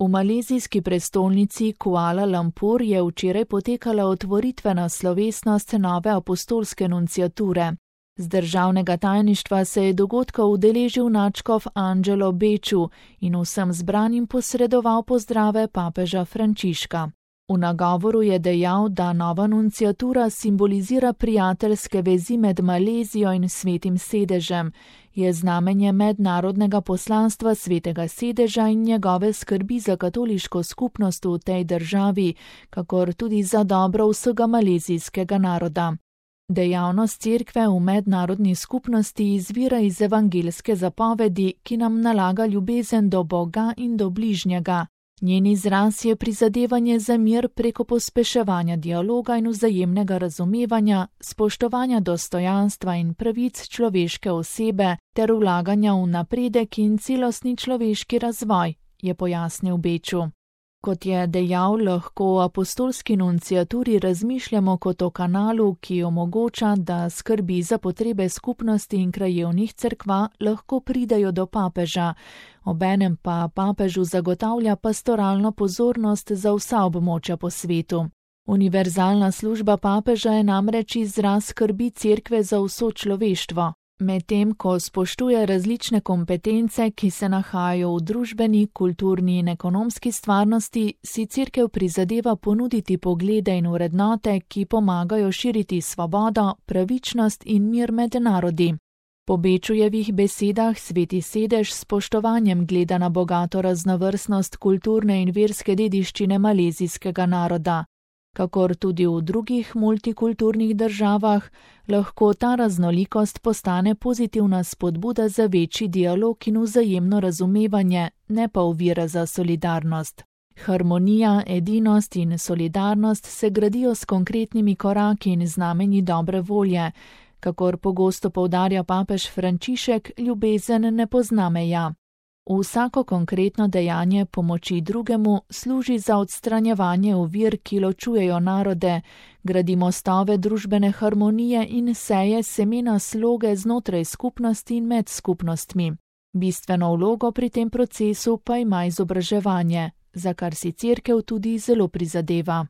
V malezijski prestolnici Kuala Lumpur je včeraj potekala otvoritvena slovesnost nove apostolske nunciature. Z državnega tajništva se je dogodka udeležil nadškof Angelo Beču in vsem zbranim posredoval pozdrave papeža Frančiška. V nagovoru je dejal, da nova nunciatura simbolizira prijateljske vezi med Malezijo in Svetim sedežem, je znamenje mednarodnega poslanstva Svetega sedeža in njegove skrbi za katoliško skupnost v tej državi, kakor tudi za dobro vsega malezijskega naroda. Dejavnost cerkve v mednarodni skupnosti izvira iz evangeljske zapovedi, ki nam nalaga ljubezen do Boga in do bližnjega. Njen izraz je prizadevanje za mir preko pospeševanja dialoga in vzajemnega razumevanja, spoštovanja dostojanstva in pravic človeške osebe ter vlaganja v napredek in celostni človeški razvoj, je pojasnil Beču. Kot je dejal, lahko o apostolski nunciaturi razmišljamo kot o kanalu, ki omogoča, da skrbi za potrebe skupnosti in krajevnih cerkva lahko pridejo do papeža, obenem pa papežu zagotavlja pastoralno pozornost za vsa območja po svetu. Univerzalna služba papeža je namreč izraz skrbi cerkve za vso človeštvo. Medtem ko spoštuje različne kompetence, ki se nahajajo v družbeni, kulturni in ekonomski stvarnosti, si cerkev prizadeva ponuditi poglede in vrednote, ki pomagajo širiti svobodo, pravičnost in mir med narodi. Po Bečujevih besedah Sveti sedež s spoštovanjem gleda na bogato raznovrstnost kulturne in verske dediščine malezijskega naroda. Kakor tudi v drugih multikulturnih državah, lahko ta raznolikost postane pozitivna spodbuda za večji dialog in vzajemno razumevanje, ne pa ovira za solidarnost. Harmonija, edinost in solidarnost se gradijo s konkretnimi koraki in znamenji dobre volje. Kakor pogosto poudarja papež Frančišek, ljubezen ne pozna meja. Vsako konkretno dejanje pomoči drugemu služi za odstranjevanje ovir, ki ločujejo narode, gradi mostove družbene harmonije in seje semena sloge znotraj skupnosti in med skupnostmi. Bistveno vlogo pri tem procesu pa ima izobraževanje, za kar si cerkev tudi zelo prizadeva.